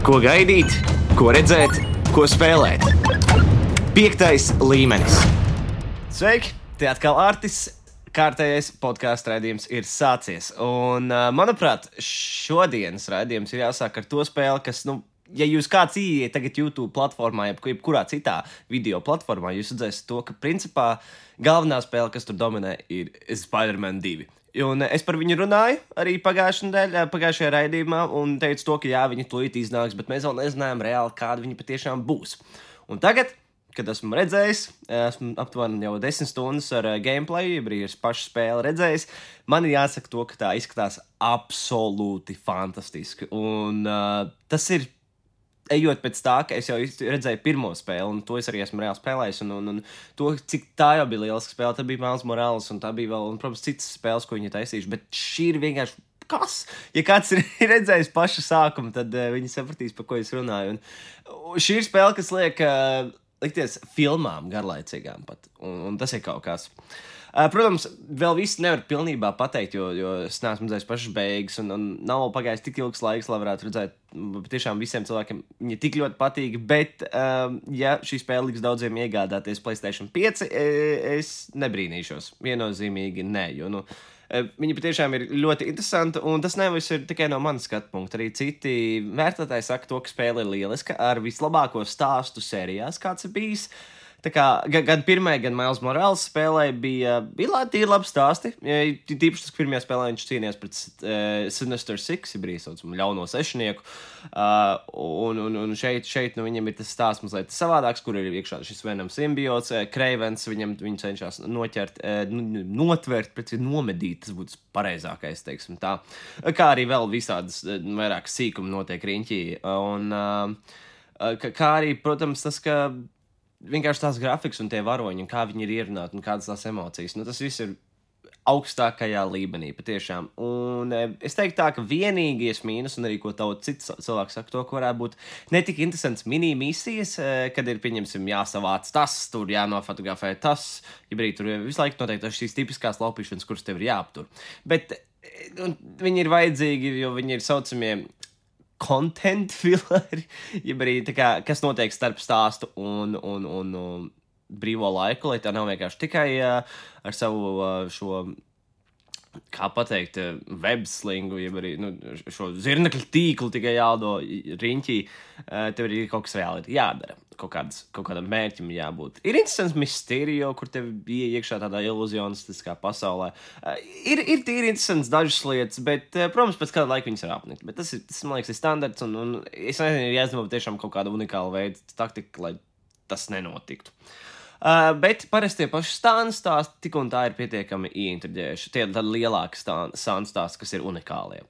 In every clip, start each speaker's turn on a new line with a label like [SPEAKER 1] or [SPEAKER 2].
[SPEAKER 1] Ko gaidīt, ko redzēt, ko spēlēt. 5. līmenis. Sveiki! Te atkal Artis. Kārtējais podkāstu raidījums ir sācies. Un, manuprāt, šodienas raidījums ir jāsāk ar to spēli, kas, ja jūs kāds ieiet tagad YouTube platformā, jebkurā citā video platformā, jūs redzēsiet to, ka principā galvenā spēle, kas tur dominē, ir Spider-Man 2. Un es par viņu runāju arī pagājušajā raidījumā un teicu to, ka jā, viņi tūlīt iznāks, bet mēs vēl nezinājām reāli, kāda viņi patiešām būs. Un tagad, kad esmu redzējis, esmu aptuveni jau 10 stundas ar gameplay, arī ar pašu spēli redzējis, man ir jāsaka to, ka tā izskatās absolūti fantastiski. Un tas ir, ejot pēc tā, ka es jau redzēju pirmo spēli, un to es arī esmu reāli spēlējis, un to, cik tā jau bija lieliska spēle, tad bija Miles Morales, un tā bija vēl, un, protams, citas spēles, ko viņi taisījuši, bet šī ir vienkārši kas? Ja kāds ir redzējis pašu sākumu, tad viņi sapratīs, par ko es runāju. Un šī ir spēle, kas liek likties filmām garlaicīgām pat, un tas ir kaut kas. Protams, vēl viss nevar pilnībā pateikt, jo es neesmu redzējis pašas beigas, un nav vēl pagājis tik ilgs laiks, lai varētu redzēt, tiešām visiem cilvēkiem viņa tik ļoti patīk, bet, ja šī spēle liks daudziem iegādāties PlayStation 5, es nebrīnīšos, viennozīmīgi ne, jo, viņa patiešām ir ļoti interesanta, un tas nevis ir tikai no manas skatu punkta. Arī citi vērtētāji saka to, ka spēle ir lieliska, ar vislabāko stāstu sērijās, kāds ir bijis. Tā kā gan pirmajā, gan Miles Morales spēlē bija tīri labi stāsti. Tīpaši tas pirmajā spēlē viņš cīnījās pret Sinister Six, ja brīdī saucam ļauno sešnieku. Un šeit viņam ir tas stāsts mazliet savādāks, kur ir iekšā šis Venom simbiots, Cravens, viņu cenšas notvert, pret nomedīt, tas būtu pareizākais, teiksim tā. Kā arī vēl visādas vairāk sīkumi notiek riņķī. Un kā arī, protams, tas, ka vienkārši tās grafikas un tie varoņi, un kā viņi ir ierunāti, un kādas tās emocijas. Tas viss ir augstākajā līmenī, patiešām. Un es teiktu tā, ka vienīgais mīnus, un arī ko cits cilvēks saka to, ka varētu būt netik interesants mini-misijas, kad ir, pieņemsim, jāsavāc tas, tur jānofotografē tas, ja brīd tur visu laiku noteikti šīs tipiskās laupīšanas, kuras tev ir jāaptur. Bet viņi ir vajadzīgi, jo viņi ir saucamie content filleri, ja arī tā kā, kas notiek starp stāstu un brīvo laiku, lai tā nav vienkārši tikai ar savu šo, kā pateikt, webslingu, ja arī šo zirnekļu tīklu tikai jādo riņķī, tev arī kaut kas reāli ir jādara. Kaut kādam mērķim jābūt. Ir interesants Mysterio, kur tev bija iekšā tādā iluzionistiskā pasaulē. Ir tīri interesants dažas lietas, bet, protams, pēc kāda laika viņas var apnikt. Bet tas man liekas, ir standarts, un es nezinu, ir jāizdomā tiešām kaut kāda unikāla veida taktika, lai tas nenotiktu. Bet parasti tie paši stāsti tik un tā ir pietiekami ieintriģējuši. Tie ir tādi lielāki stāsti, kas ir unikālie.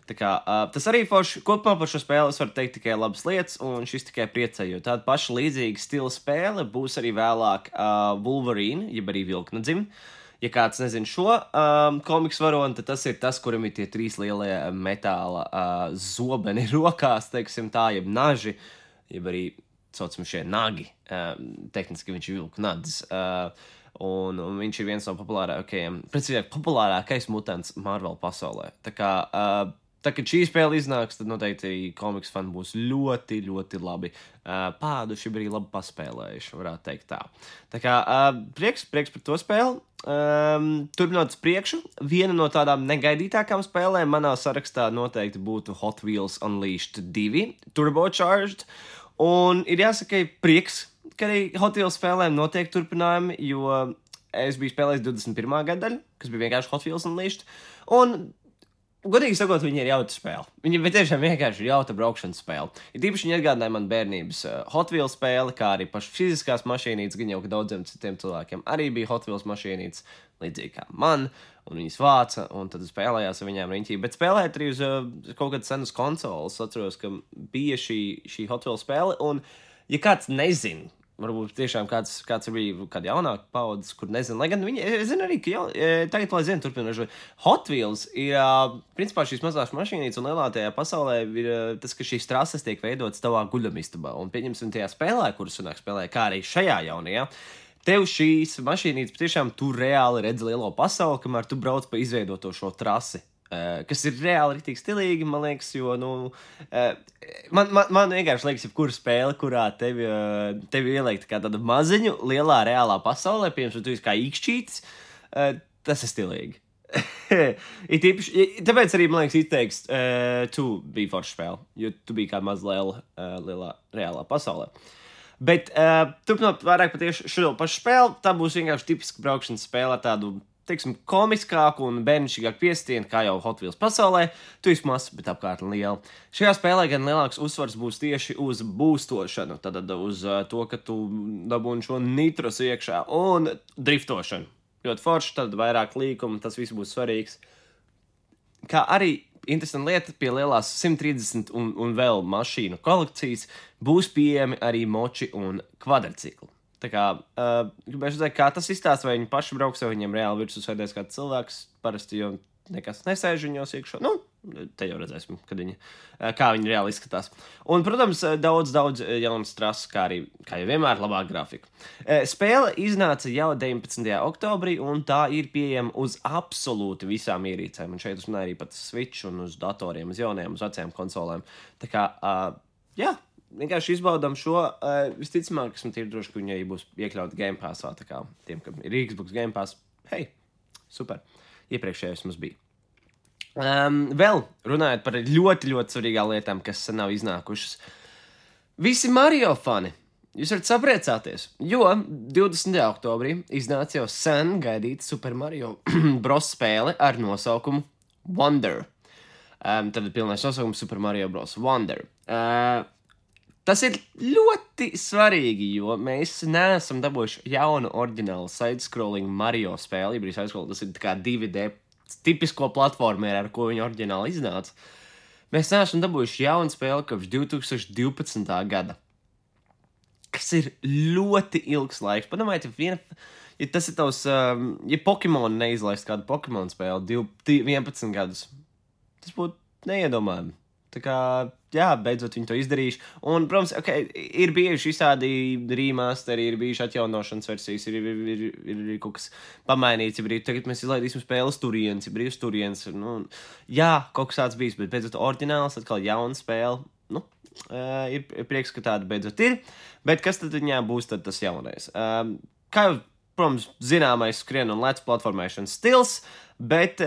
[SPEAKER 1] Tā kā, tas arī kopumā par šo spēli es varu teikt tikai labas lietas, un šis tikai priecē, jo tāda paša līdzīga stila spēle būs arī vēlāk Wolverine, jeb arī Vilknadzim. Ja kāds nezin šo komiksu varoni, tad tas ir tas, kuram ir tie 3 lielie metāla zobeni rokās, teiksim tā, jeb naži, jeb arī saucam šie nagi, tehniski viņš ir vilknadzis, un viņš ir viens no populārākais mutants Marvel pasaulē. Tā kā, kad šī spēle iznāks, tad noteikti komiks fani būs ļoti, ļoti labi pāduši, arī labi paspēlējuši, varētu teikt tā. Tā kā, prieks par to spēli. Turpinot priekšu, viena no tādām negaidītākām spēlēm manā sarakstā noteikti būtu Hot Wheels Unleashed 2, Turbocharged. Un ir jāsaka, prieks, ka arī Hot Wheels spēlēm notiek turpinājumi, jo es biju spēlējis 21. gada daļu, kas bija vienkārši Hot Wheels Unleashed, un, godīgi sakot, viņi ir jauta spēle. Viņi tiešām vienkārši ir jauta braukšanas spēle. Ir tīpaši viņi atgādināja man bērnības Hot Wheels spēli, kā arī pašu fiziskās mašīnītes, gan jau ka daudziem citiem cilvēkiem arī bija Hot Wheels mašīnītes, līdzīgi kā man, un viņas vāca, un tad spēlējās ar viņām riņķī. Bet spēlēt arī uz kaut kādas senas konsoles. Atceros, ka bija šī Hot Wheels spēle, un ja kāds nezin, varbūt tiešām kāds bija kāda jaunāka paudzes, kur nezinu, lai gan viņi, es zinu arī, ka tagad, lai zinu, turpinoši, Hot Wheels ir, principā šīs mazās mašīnītes un lielātajā pasaulē ir tas, ka šīs trases tiek veidotas tavā guļamistabā, un pieņemsim tajā spēlē, kuras sanāk spēlē, kā arī šajā jaunajā, tev šīs mašīnītes patiešām tu reāli redz lielo pasauli, kamēr tu brauc pa izveidoto šo trasi. kas ir reāli rītīgi stilīgi, man liekas, jo, man vienkārši liekas, jebkura spēle, kurā tevi ieliek kā tādu maziņu, lielā, reālā pasaulē, piemēram, tu esi kā īkšķītis, tas ir stilīgi. Tāpēc arī, man liekas, izteiks, tu biji forša spēle, jo tu biji kā maz lielā, reālā pasaulē. Bet turpinot vairāk patieši šo pašu spēli, tā būs vienkārši tipiska braukšanas spēle ar tādu, teiksim, komiskāku un bērnišķīgāku piestienu, kā jau Hot Wheels pasaulē. Tu esi mazs, bet apkārt liela. Šajā spēlē gan lielāks uzsvars būs tieši uz būstošanu, tad uz to, ka tu dabūni šo nitros iekšā un driftošanu. Ļoti forši, tad vairāk līkumu, tas viss būs svarīgs. Kā arī interesanta lieta, pie lielās 130 un vēl mašīnu kolekcijas būs pieejami arī moči un kvadrcikli. Tā kā, gribēju redzēt, kā tas izstāsta, vai viņi paši brauks, vai viņiem reāli virsū sēdēs kāds cilvēks, parasti jau nekas nesēž viņos iekšā. Te jau redzēsim, kā viņi reāli izskatās. Un, protams, daudz jaunas trases, kā jau vienmēr, labāk grafika. Spēle iznāca jau 19. oktobrī, un tā ir pieejama uz absolūti visām ierīcēm. Un šeit uzmanēja arī pat Switch un uz datoriem, uz jauniem, uz vecajām konsolēm. Tā kā, jā. Vienkārši izbaudām šo, visticamāk, esmu tīri droši, ka viņi arī būs iekļauti Game Passā, tā kā tiem, kam ir Xbox Game Pass. Hei, super, iepriekšējais mums bija. Vēl runājot par ļoti, ļoti svarīgām lietām, kas nav iznākušas. Visi Mario fani, jūs varat sapriecāties, jo 20. oktobrī iznāca jau sen gaidīta Super Mario Bros. Spēle ar nosaukumu Wonder. Tad pilnais nosaukums Super Mario Bros. Wonder. Tas ir ļoti svarīgi, jo mēs neesam dabūjuši jaunu oriģinālu side-scrolling Mario spēli. Tas ir kā 2D tipisko platformēru, ar ko viņa oriģināli iznāca. Mēs neesam dabūjuši jaunu spēli kopš 2012. gada. Kas ir ļoti ilgs laiks. Padomājiet, ja tas ir tavs, ja Pokemon neizlaist kādu Pokemon spēli 11 gadus, tas būtu neiedomājami. Tā kā, jā, beidzot viņi to izdarījuši. Un, protams, ir bijuši visādi remasteri, ir bijuši atjaunošanas versijas, ir kaut kas pamainīts, tagad mēs izlaidīsim spēles turienes, ir turienes. Jā, kaut kas tāds bijis, bet beidzot oriģināls, atkal jauna spēle. Ir prieks, ka tāda beidzot ir. Bet kas tad viņā būs tad tas jaunais? Kā jau, protams, zināmais skrien un lec platformēšanas stils, bet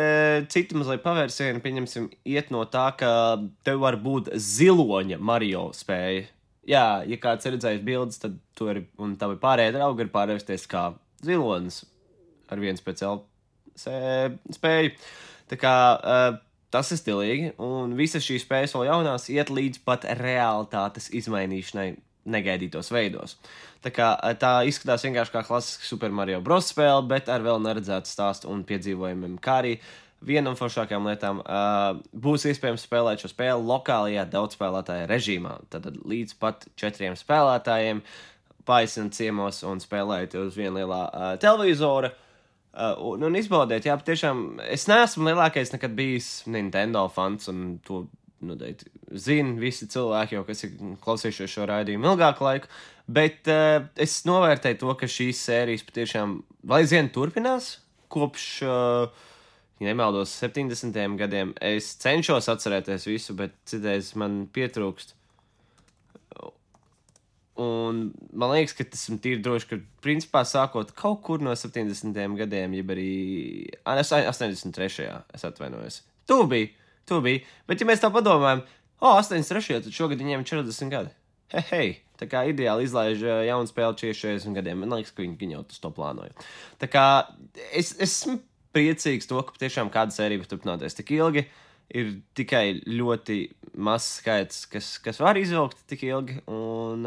[SPEAKER 1] citi mazliet pavērsieni, pieņemsim, iet no tā, ka tev var būt ziloņa Mario spēja. Jā, ja kāds ir redzējis bildes, tad tu arī, un tavi pārējie draugi ir pārvērsties kā zilonis ar vienu speciālu spēju. Tā kā tas ir stilīgi, un visas šīs spējas vēl jaunās iet līdz pat realitātes izmainīšanai negaidītos veidos. Tā kā tā izskatās vienkārši kā klasiska Super Mario Bros. Spēle, bet ar vēl neredzētu stāstu un piedzīvojumiem, kā arī viena no foršākajām lietām būs iespējams spēlēt šo spēli lokālajā daudzspēlētāja režīmā. Tad līdz pat 4 spēlētājiem paaisināt ciemos un spēlēt uz viena lielā televizora. Un izbaudiet, jā, patiešām, es neesmu lielākais nekad bijis Nintendo fans, un to zina visi cilvēki, jau kas ir klausījušies šo raidījumu ilgāku laiku, bet es novērtēju to, ka šīs sērijas patiešām vēl aizvien turpinās kopš, ja nemaldos, 70. gadiem. Es cenšos atcerēties visu, bet citreiz man pietrūkst. Un man liekas, ka tas ir tīri droši, ka principā sākot kaut kur no 70. gadiem, jeb arī 83. es atvainojos. Tu biji, bet ja mēs tā padomājam, 83. tad šogad viņiem 40 gadi. Hei, tā kā ideāli izlaiž jaunu spēli 40 gadiem. Man liekas, ka viņi jau to plānoja. Tā kā es esmu priecīgs to, ka tiešām kāda sērija var turpināties tik ilgi. Ir tikai ļoti mazs skaits, kas var izvilkt tik ilgi. Un,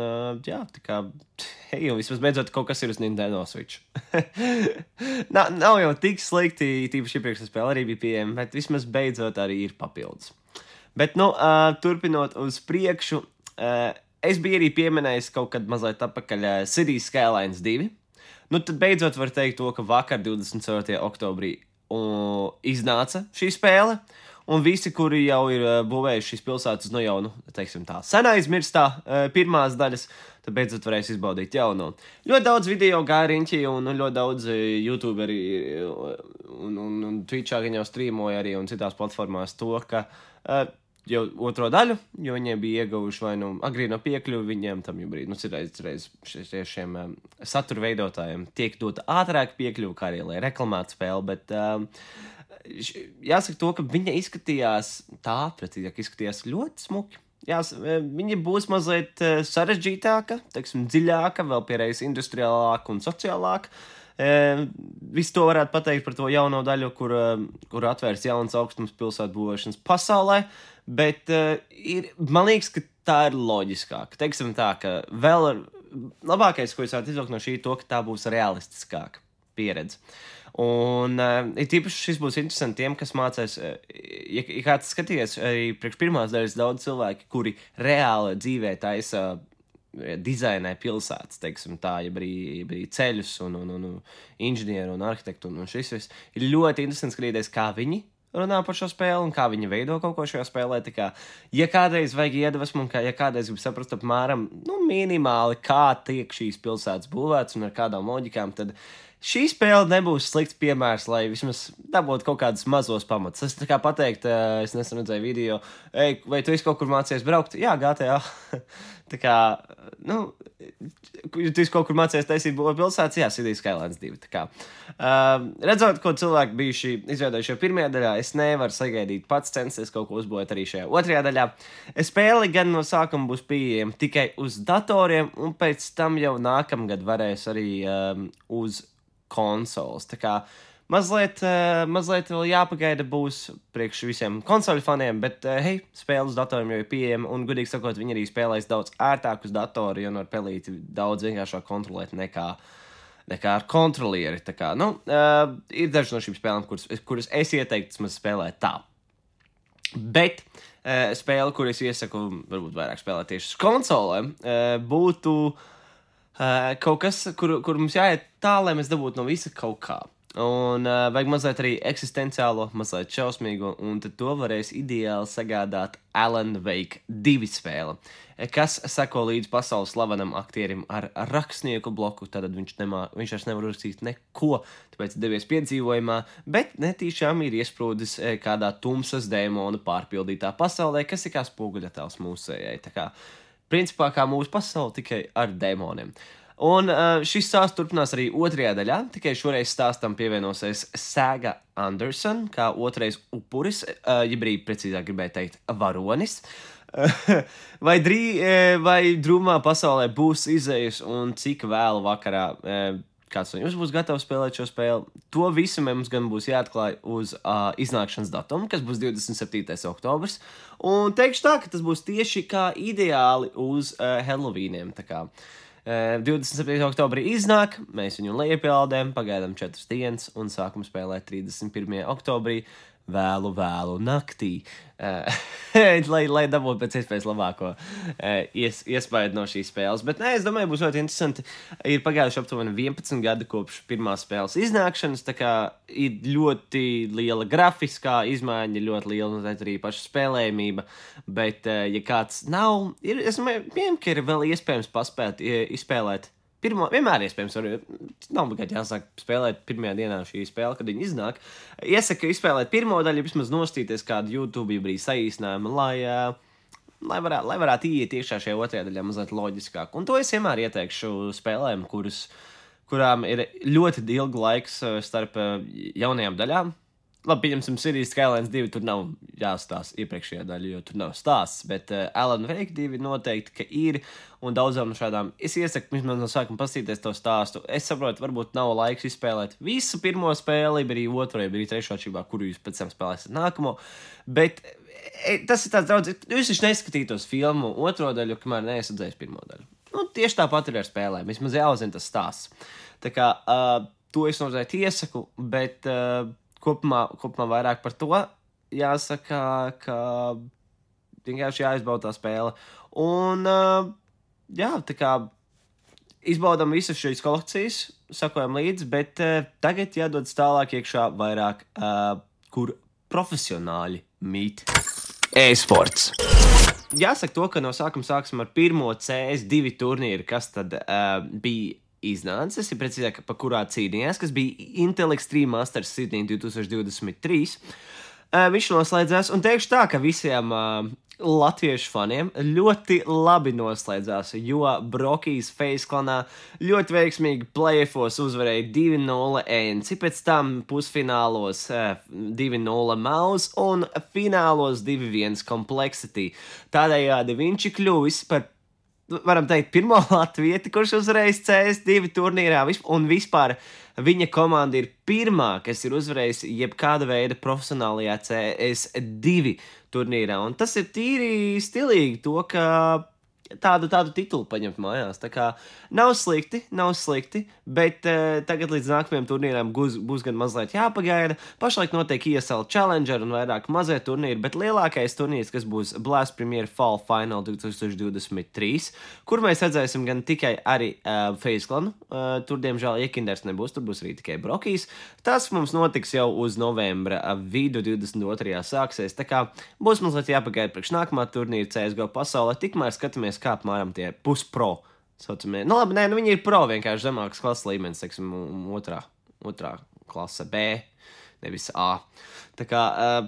[SPEAKER 1] jā, tā kā, hei, vismaz beidzot kaut kas ir uz Nintendo Switch. Nav jau tik slikti, tīpaši iepriekšējā spēle arī bija pieejama, bet vismaz beidzot arī ir papildus. Bet, turpinot uz priekšu, es biju arī pieminējis kaut kad mazliet atpakaļ Cities Skylines 2. Tad beidzot var teikt to, ka vakar 24. oktobrī iznāca šī spēle. Un visi, kuri jau ir būvējuši šīs pilsētas no jau, teiksim tā, sen aizmirstā pirmās daļas, tad beidzot varēs izbaudīt jauno. Ļoti daudz video gāja riņķī, un ļoti daudz YouTuberi un Twitchā viņi jau streamoja arī un citās platformās to, ka jau otro daļu, jo viņiem bija ieguvuši vai agrīno piekļuvi viņiem tam jau brīdi. Citreiz šiem satura veidotājiem tiek dota ātrāk piekļuvi, kā arī, lai reklamētu spēli, bet jāsaka to, ka viņa izskatījās precīzāk izskatījās ļoti smuki. Viņa būs mazliet sarežģītāka, teiksim, dziļāka, vēl piereiz industriālāka un sociālāka. Visu to varētu pateikt par to jauno daļu, kur atvērs jaunas augstums pilsētu būvēšanas pasaulē, bet man liekas, ka tā ir loģiskāka. Teiksim tā, ka vēl labākais, ko es varētu izvilkt no šī, to, ka tā būs realistiskāka pieredze. Un tīpaši šis būs interesanti tiem, kas mācās, ja kāds skaties, arī priekš pirmās daļas daudz cilvēki, kuri reāli dzīvē taisa dizainē pilsētas, teiksim tā, ja arī ceļus un inženieru un arhitektu un šis viss. Ir ļoti interesanti skatīties, kā viņi runā par šo spēli un kā viņi veido kaut ko šajā spēlē. Tā kā, ja kādreiz vajag iedvesmu un ja kādreiz grib saprast apmēram, minimāli, kā tiek šīs pilsētas būvētas un ar kādām loģikām, tad šī spēle nebūs slikts piemērs, lai vismaz dabūtu kaut kādus mazos pamatus. Es tā kā pateikt, es nesen redzēju video, vai tu esi kaut kur mācījies braukt? Jā, GTA. Tā kā, tu esi kaut kur mācījies taisīt pilsētas? Jā, Cities Skylines 2. Tā kā, redzot, ko cilvēki bijuši izveidojuši jau pirmajā daļā, es nevaru sagaidīt pats censties kaut ko uzbūvēt arī šajā otrajā daļā. Spēle gan no sākuma būs pieejama tikai uz datoriem, un pēc tam jau nākamgad varēs arī uz konsoles. Tā kā mazliet vēl jāpagaida būs priekš visiem konsoļu faniem, bet spēle uz datoriem jau ir pieejama, un godīgi sakot, viņi arī spēlēs daudz ērtāk uz datoru, jo var pelīti daudz vienkāršāk kontrolēt nekā ar kontrolieri. Tā kā, ir daži no šīm spēlēm, kuras es ieteiktu spēlēt tā. Bet spēle, kur es iesaku varbūt vairāk spēlēt tieši uz konsolēm, būtu kaut kas, kur mums jāiet tā, lai mēs dabūtu no visa kaut kā. Un vajag mazliet arī eksistenciālo, mazliet šausmīgo, un tad to varēs ideāli sagādāt Alan Wake 2 spēle, kas seko līdz pasaules slavenam aktierim ar rakstnieku bloku, tad viņš vairs nevar uzrakstīt neko, tāpēc devies piedzīvojumā, bet netīšām ir iesprūdis kādā tumsas dēmonu pārpildītā pasaulē, kas ir kā spoguļattēls mūsējai. Tā kā principā kā mūsu pasaule, tikai ar dēmoniem. Un šis stāsts turpinās arī otrajā daļā, tikai šoreiz stāstam pievienosies Saga Anderson, kā otrais upuris, ja brīd precīzāk gribēju teikt varonis. Vai drūmā pasaulē būs izējas un cik vēlu vakarā kāds no jums būs gatavs spēlēt šo spēli? To visu mums gan būs jāatklāj uz iznākšanas datumu, kas būs 27. oktobrs. Un teikšu tā, ka tas būs tieši kā ideāli uz Halloweeniem. Tā kā 27. oktobrī iznāk, mēs viņu lejupielādējam, pagaidām 4 dienas un sākam spēlēt 31. oktobrī vēlu naktī, lai dabūtu pēc iespējas labāko iespēju no šīs spēles. Bet es domāju, būs ļoti interesanti. Ir pagājuši aptuveni 11 gadi kopš pirmās spēles iznākšanas, tā kā ir ļoti liela grafiskā izmaiņa, ļoti liela arī paša spēlējumība, bet ja kāds nav, es domāju, ka ir vēl iespējams paspēt izspēlēt vienmēr iespējams, nav bagāti jāsāk spēlēt pirmajā dienā šī spēle, kad viņi iznāk. Iesaku izspēlēt pirmo daļu, vismaz nostīties kādu YouTube brīdi saīsinājumu, lai varētu iet iekšā šajā otrajā daļā mazliet loģiskāk. Un to es vienmēr ieteikšu spēlēm, kurām ir ļoti ilgu laiks starp jaunajām daļām. Labi, pieņemsim, Cities Skylines 2, tur nav jāstāsta iepriekšējā daļa, jo tur nav stāsts, bet Alan Wake 2 noteikti, ka ir, un daudzām no šādām, es iesaku vismaz no sākuma pastīties to stāstu. Es saprotu, varbūt nav laiks izspēlēt visu pirmo spēli, arī otro, arī trešo atšķirībā, kuru jūs pēc tam spēlēsiet nākamo, bet tas ir tāds daudz, jūs taču neskatītos filmu otro daļu, kamēr neesat redzējis pirmo daļu. Tieši tāpat ir ar spēlēm, vismaz jāuzzina tas stāsts. Tā kā to es noteikti iesaku, bet kopumā vairāk par to jāsaka, ka vienkārši jāizbauda tā spēle. Un, tā kā izbaudam visas šīs kolekcijas, sakojam līdzi, bet tagad jādodas tālāk iekšā vairāk, kur profesionāļi mīt e-sports. Jāsaka to, ka no sākuma sāksim ar pirmo CS2 turnīru, kas tad bija iznācis, ja precīzāk, pa kurā cīnījās, kas bija Intel Extreme Masters Sydney 2023. Viņš noslēdzās, un teikšu tā, ka visiem latviešu faniem ļoti labi noslēdzās, jo Brokijs Face klanā ļoti veiksmīgi playoffos uzvarēja 2-0 Enci, pēc tam pusfinālos 2-0 Maus un finālos 2-1 Complexity. Tādējādi viņš ir kļuvis par, varam teikt, pirmo latvieti, kurš uzvarējis CS2 turnīrā, un vispār viņa komanda ir pirmā, kas ir uzvarējusi jebkāda veida profesionālajā CS2 turnīrā. Un tas ir tīri stilīgi to, ka tādu titulu paņemt mājās. Tā kā nav slikti, bet tagad līdz nākamajam turnīram būs gan mazliet jāpagaida. Pašlaik notiek ESL Challenger un vairāk mazie turnīri, bet lielākais turnīrs, kas būs Blast Premier Fall Final 2023, kur mēs redzēsim gan tikai arī Face klanu. Tur, diemžēl, Iekinders nebūs, tur būs arī tikai Brokijs. Tas mums notiks jau uz novembra vidu 22. sāksies, tā kā būs mazliet jāpagaida priekš nākamā turnīra CSGO pasaulē, tikmēr skatāmies, kā apmēram tie puspro saucamie. Nu labi, viņi ir pro, vienkārši zemākas klases līmenis, teiksim, otrā klase B, nevis A. Tā kā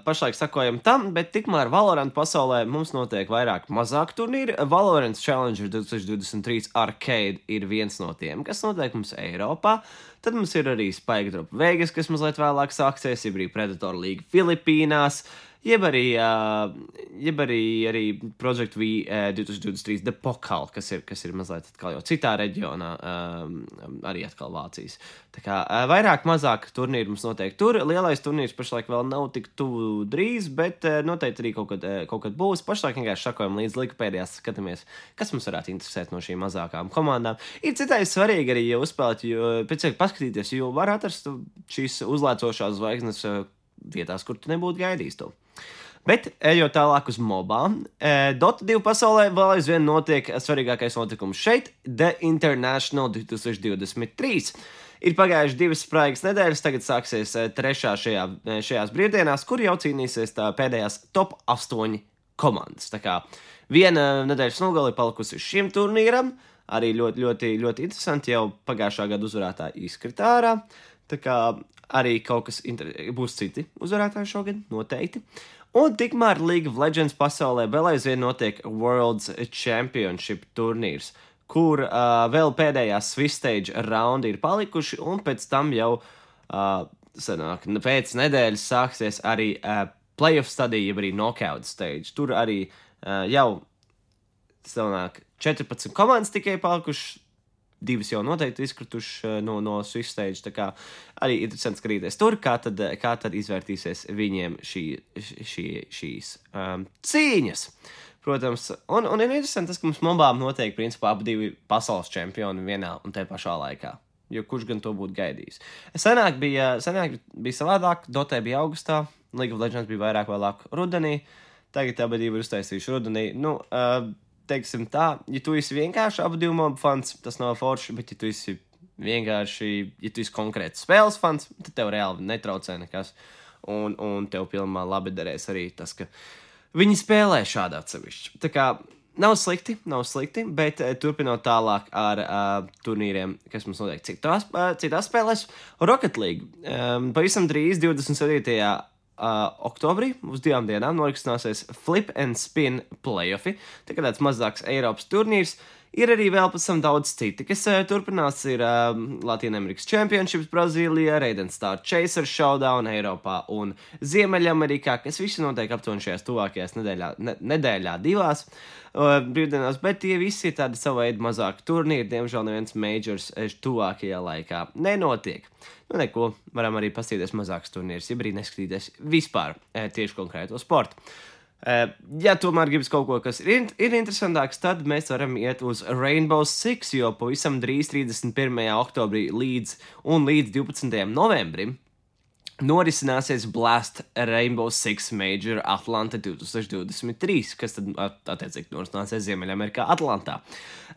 [SPEAKER 1] pašlaik sakojam tam, bet tikmēr Valorant pasaulē mums notiek vairāk mazāk turnīri. Valorant Challenger 2023 Arcade ir viens no tiem, kas notiek mums Eiropā. Tad mums ir arī Spike Drop Vegas, kas mazliet vēlāk sāksies, jeb arī Predator League Filipīnās, jeb arī Project V 2023 The Pokal, kas ir mazliet atkal jau citā reģionā, arī atkal Vācijas. Tā kā vairāk mazāk turnīri mums notiek tur. Lielais turnīrs pašlaik vēl nav tik tuvu drīz, bet noteikti arī kaut kad būs. Pašlaik vienkārši sakojam līdz Wikipēdijās, skatāmies, kas mums varētu interesēt no šīm mazākām komandām. Ir citais svarīgi arī, ja uzspēlēt, jo pēc paskatīties, jo var atrast šīs uzlēcošās zvaigznes vietās, kur tu nebūtu gaidījis to. Bet, ejot tālāk uz mobām, Dota 2 pasaulē vēl aizvien notiek svarīgākais notikums šeit, The International 2023. Ir pagājuši 2 spraigas nedēļas, tagad sāksies 3. šajās brīvdienās, kur jau cīnīsies pēdējās top 8 komandas. Tā kā viena nedēļas nogali palikusi šim turnīram, arī ļoti, ļoti, ļoti interesanti, jau pagājušā gada uzvarētāji izkrita ārā, tā kā arī kaut kas būs citi uzvarētāji šogad, noteikti. Un tikmēr League of Legends pasaulē vēl aizvien notiek World's Championship turnīrs, kur vēl pēdējās Swiss Stage raundi ir palikuši, un pēc tam jau pēc nedēļas sāksies arī playoff stadija, jeb arī knockout stage. Tur arī jau 14 komandas tikai palikuši, 2 jau noteikti izkrituši no Swiss Stage, tā kā arī interesanti skatīties tur, kā tad izvērtīsies viņiem šīs cīņas. Protams, un ir interesanti tas, ka mums mobām notiek, principā, ap 2 pasaules čempioni vienā un te pašā laikā, jo kurš gan to būtu gaidījis. Senāk bija savādāk, Dotē bija augustā, League of Legends bija vēlāk rudenī, tagad abi ir uztaisījuši rudenī, teiksim tā, ja tu esi vienkārši abu 2 mobu fans, tas nav forši, bet ja tu esi konkrēts spēles fans, tad tev reāli netraucē nekas, un tev pilnībā labi derēs arī tas, ka viņi spēlē šādi atsevišķi. Tā kā nav slikti, bet turpinot tālāk ar turnīriem, kas mums notiek citās spēlēs, Rocket League. Pavisam drīz 27. oktobrī uz 2 dienām norisināsies Flip and Spin playoffi, tā kā tāds mazāks Eiropas turnīrs. Ir arī vēl pēc tam daudz citi, kas turpinās, ir Latīņamerikas Championships Brazīlijā, Raiden Star Chaser Showdown Eiropā un Ziemeļamerikā, kas visi notiek aptuveni šajās tuvākajās nedēļā 2 brīvdienās, bet tie visi ir tādi savu veidu mazāki turnīri, diemžēl neviens majors tuvākajā laikā nenotiek. Neko, varam arī paskatīties mazāks turnīrs, ja brīd neskatīties vispār tieši konkrēto sportu. Ja tomēr gribas kaut ko, kas ir interesantāks, tad mēs varam iet uz Rainbow Six, jo pavisam drīz 31. oktobrī līdz 12. novembrim norisināsies Blast Rainbow Six Major Atlanta 2023, kas tad attiecīgi norisināsies Ziemeļamerikā Atlantā.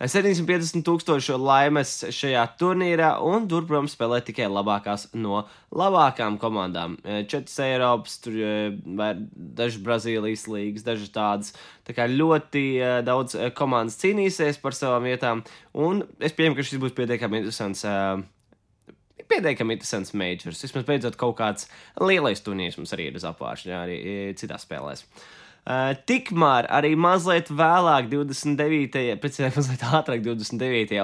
[SPEAKER 1] 750,000 laimes šajā turnīrā un tur, protams, spēlē tikai labākās no labākām komandām. 4 Eiropas, tur daži Brazīlijas līgas, daži tādas. Tā kā ļoti daudz komandas cīnīsies par savām vietām, un es pieņemu, ka šis būs pietiekami interesants majors. Vismaz beidzot kaut kāds lielais turnīrs mums arī ir uz apvāršņā, arī citās spēlēs. Tikmēr arī mazliet vēlāk, 29.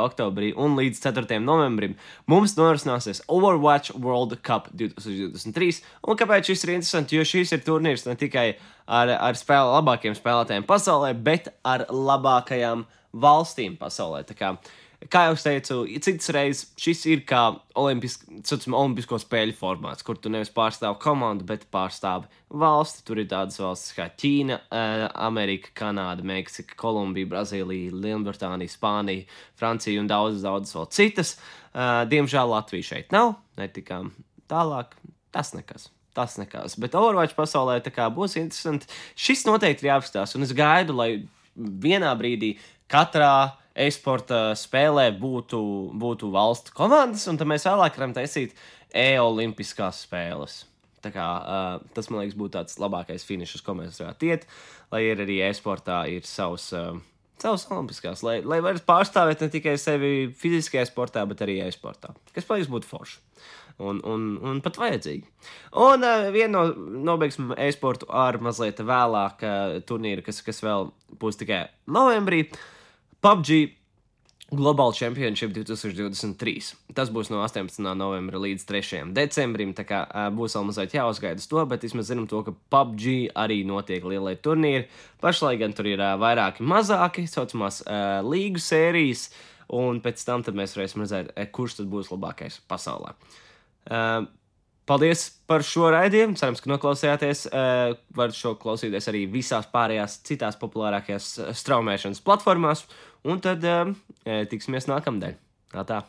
[SPEAKER 1] oktobrī un līdz 4. novembrim mums norisināsies Overwatch World Cup 2023. Un kāpēc šis ir interesants? Jo šis ir turnīrs ne tikai ar labākiem spēlētājiem pasaulē, bet ar labākajām valstīm pasaulē. Tā kā jau es teicu, citas reizes šis ir kā olimpisko spēļu formāts, kur tu nevis pārstāvi komandu, bet pārstāvi valsti. Tur ir tādas valstis kā Ķīna, Amerika, Kanāda, Meksika, Kolumbija, Brazīlija, Lielbritānija, Spānija, Francija un daudzas vēl citas. Diemžēl Latvija šeit nav, netikām tālāk, tas nekas. Bet Overwatch pasaulē tā kā būs interesanti. Šis noteikti ir jāapskatās, un es gaidu, lai vienā brīdī katrā e-sporta spēlē būtu valstu komandas, un tad mēs vēlāk varam taisīt e-olimpiskās spēles. Tā kā tas, man liekas, būtu tāds labākais finišs, ko mēs varētu iet, lai ir arī e-sportā ir savs olimpiskās, lai varat pārstāvēt ne tikai sevi fiziskajā sportā, bet arī e-sportā, kas, man liekas, būtu forši. Un pat vajadzīgi. Un nobeigsim e-sportu ar mazliet vēlāk turnīru, kas vēl būs tikai novembrī. PUBG Global Championship 2023. Tas būs no 18. novembra līdz 3. decembrim, tā kā būs vēl mazliet jāuzgaida uz to, bet vismaz zinām to, ka PUBG arī notiek lielie turnīri. Pašlaik gan tur ir vairāki mazāki, saucamās līgu sērijas, un pēc tam tad mēs varēsim redzēt, kurš tad būs labākais pasaulē. Paldies par šo raidījumu. Cerams, ka noklausījāties. Varat šo klausīties arī visās pārējās citās populārākajās straumēšanas platformās. Un tad tiksimies nākamdēļ. Tā.